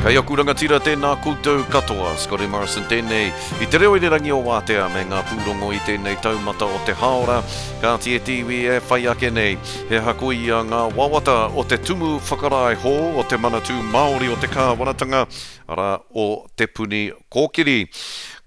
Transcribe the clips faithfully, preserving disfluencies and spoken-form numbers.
Kei aku rangatira tēnā koutou katoa, Scotty Morrison tēnei, i te reo irirangi o Wātea me ngā pūrongo i tēnei taumata o te hāora, kāti e te iwi e whai ake nei. He aha koia ngā wawata o te tumu whakarae hou o te Manatū Māori o te Kāwanatanga, arā, o Te Puni Kōkiri.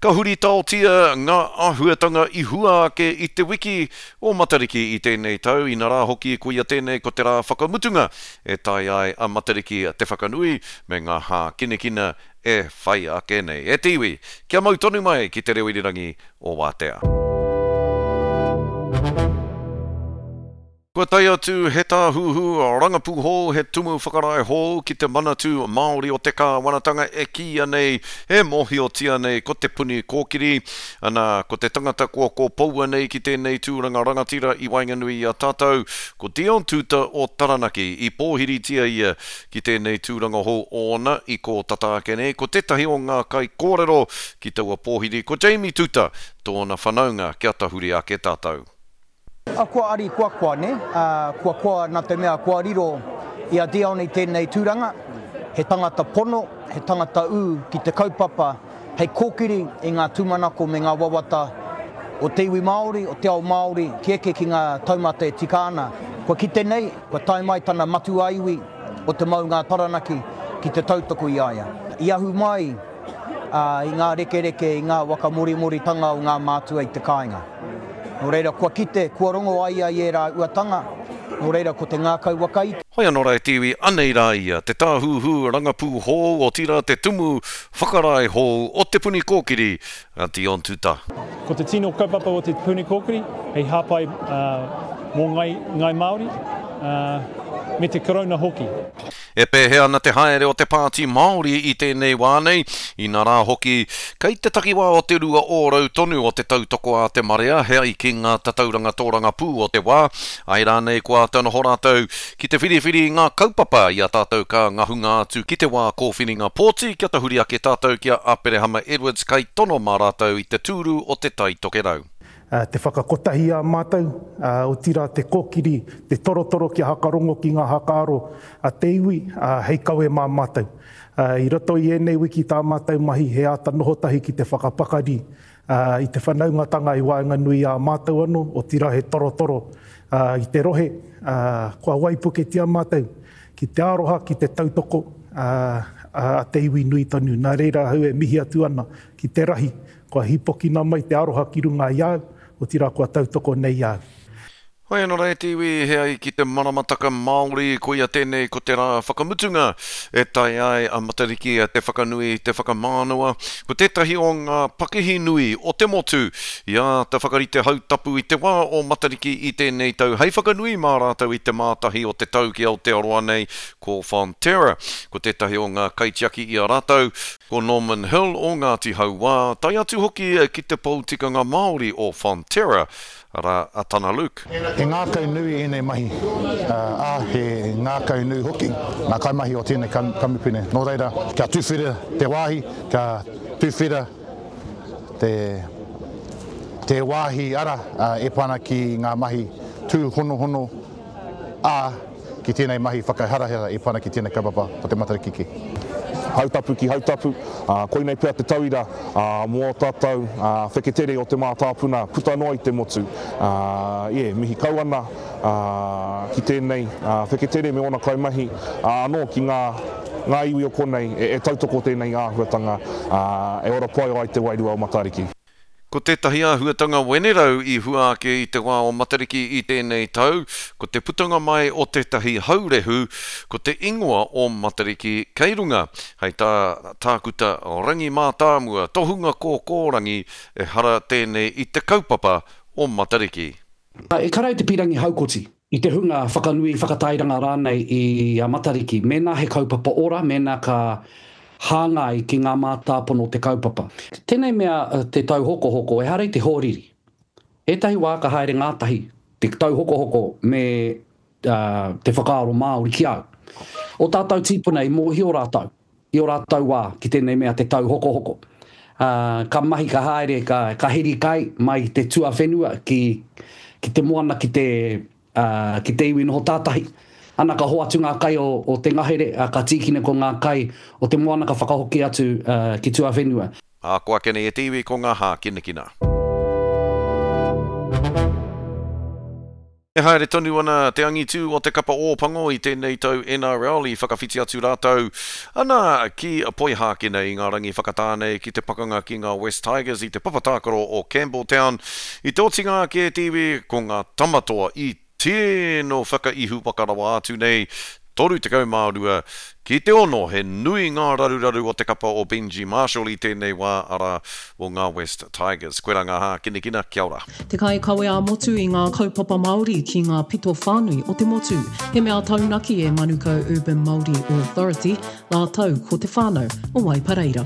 Ka huritaotia ngā āhuatanga i hua ake i te wiki o Matariki i tēnei tau, inarā hoki koia tēnei ko te rā whakamutunga e tae ai a Matariki te whakanui me ngā hākinakina e whai ake nei. E te iwi, kia mau tonu mai ki te reo irirangi o Wātea. Kua tae atu he tāhuhu rangapū hou, he tumu whakarae hou ki te Manatū Māori o te Kāwanatanga e kīia nei, e mōhiotia nei ko Te Puni Kōkiri. Ana, ko te tangata kua kōpoua nei ki tēnei tūranga rangatira i waenganui i a tātou, ko Dion Tuuta o Taranaki. I pōhiritia ia ki tēnei tūranga hou ōna i kō tata ake nei, ko tētahi o ngā kaikōrero ki taua pōhiri ko Jamie Tuuta, tōna whanaunga kia tahuri ake tātou. A kua ari kua koa, ne? A, kua koa nā te mea kua riro i a Dion i tēnei tūranga, he tangata pono, he tangata ū ki te kaupapa hei kōkiri i ngā tūmanako me ngā wawata o te iwi Māori, o te ao Māori, ki eke ki ngā taumata e tika ana. Kua kite nei, kua tae mai tana matua iwi o te maunga Taranaki ki te tautoko i a ia. I ahu mai i ngā rekereke, i ngā wakamorimōritanga o ngā mātua i te kāinga. Nō reira, kua kite, kua rongo ai ia i ērā uatanga, nō reira, ko te ngākau wakaiti. Hoi anō rā e te iwi, anei rā ia, te tāhuhu rangapū hou, otirā te tumu whakarae hou o Te Puni Kōkiri, a Dion Tuuta. Ko te tino kaupapa o Te Puni Kōkiri hei hāpai mō Ngāi Māori me te Karauna hoki. E pēhea ana te haere o te Pāti Māori i tēnei wā nei, inā rā hoki, kei te takiwā o te rua ōrau tonu o te tautoko a te marea he ai ki ngā tatauranga tōrangapū o te wā, āe rānei kua āta noho rātou ki te whiriwhiri i ngā kaupapa i a tātou ka ngahunga atu ki te wā kōwhiringa pōti kia tahuri ake tātou ki a Aperehama Edwards kai tono mā rātou i te tūru o Te Tai Tokerau. Te whakakotahi i a mātou, otirā te kōkiri, te torotoro kia hakarongo ki ngā hakaaro a te iwi hei kawe mā mātou. I roto i ēnei wiki tā mātou mahi he āta noho tahi ki te whakapakari i te whanaungatanga i waenganui i a mātou anō, otirā he torotoro i te rohe, kua waipuketia mātou ki te aroha, ki te tautoko a te iwi nui tonu. Nā reira ahau e mihi atu ana ki te rahi, kua hīpokina mai te aroha ki runga i a au, otirā kua tautoko nei i a au. Hoi anō rā e te iwi, he ai ki te maramataka Māori, koia tēnei ko te rā whakamutunga e tae ai a Matariki te whakanui, te whakamānawa. Ko tētahi o ngā pakihi nui o te motu i āta whakarite hautapu i te wā o Matariki i tēnei tau hei whakanui mā rātou i te mātahi o te tau ki Aotearoa nei, ko Fonterra. Ko tētahi o ngā kaitiaki i a rātou, ko Norman Hill o Ngāti Hauā, tae atu hoki ki te pou tikanga Māori o Fonterra, arā, a Tana Luke. He ngākau nui ēnei mahi, ā, he ngākau nui hoki ngā kaimahi o tēnei kamupene. Nō reira, kia tuwhera te wāhi, kia tuwhera te, te wāhi ara e pā ana ki ngā mahi tūhonohono, ā, ki tēnei mahi whakaharahara e pā ana ki tēnei kaupapa o te Matariki ki. Hautapu ki Hautapu, ā, koinei pea te tauira mō ō tātou wheketere o te mātāpuna puta noa i te motu. Ā, yeah, mihi kau ana ki tēnei wheketere me ōna kaimahi, ā, anō ki ngā, ngā iwi o konei e tautoko tēnei āhuatanga, ā, e ora pai ai te wairua o Matariki. Ko tētahi āhuatanga wenerau i hua ake i te wā o Matariki i tēnei tau, ko te putanga mai o tētahi haurehu, ko te ingoa o Matariki kei runga. Hei tā Tākuta Rangi Mātāmua, tohunga kōkōrangi, ehara tēnei i te kaupapa o Matariki. E kara i te pīrangi haukoti, i te hunga whakanui, whakatairanga rānei i a Matariki, mēnā he kaupapa ora, mēnā ka hāngai ki ngā mātāpono o te kaupapa. Tēnei mea te tauhokohoko, ehara i te hoariri. Ētahi wā ka haere ngātahi te tauhokohoko me te whakaaro Māori ki au. O tātou tīpuna i mōhio rātou i ō rātou wā ki tēnei mea te tauhokohoko. Ā, ka mahi, ka haere, ka, ka heri kai mai i te tuawhenua ki, ki te moana, ki te, ā, ki te iwi noho tātahi. Ana ka hoatu ngā kai o, o te ngahere, ka tīkina ko ngā kai o te moana ka whakahoki atu uh, ki tuawhenua. Ā, ko ake nei e te iwi ko ngā hākinakina. E haere tonu ana te angitū o te kapa Ōpango i tēnei tau N R L i whakawhiti atu rātou ana ki Poihākena i ngā rangi whakatāne ki te pakanga ki ngā West Tigers i te papa tākaro o Campbelltown. I te otinga ake e te iwi ko ngā tamatoa i tino whakaihu waka rawa atu nei toru tekau mā rua ki te ono. He nui ngā raruraru o te kapa o Benji Marshall i tēnei wā ara o ngā West Tigers. Koe rā ngā hākinakina, kia ora. Te kaikawe ā-motu i ngā kaupapa Māori ki ngā pito whānui o te motu. He mea taunaki e Manukau Urban Māori Authority, rātou ko te whānau o Waipareira.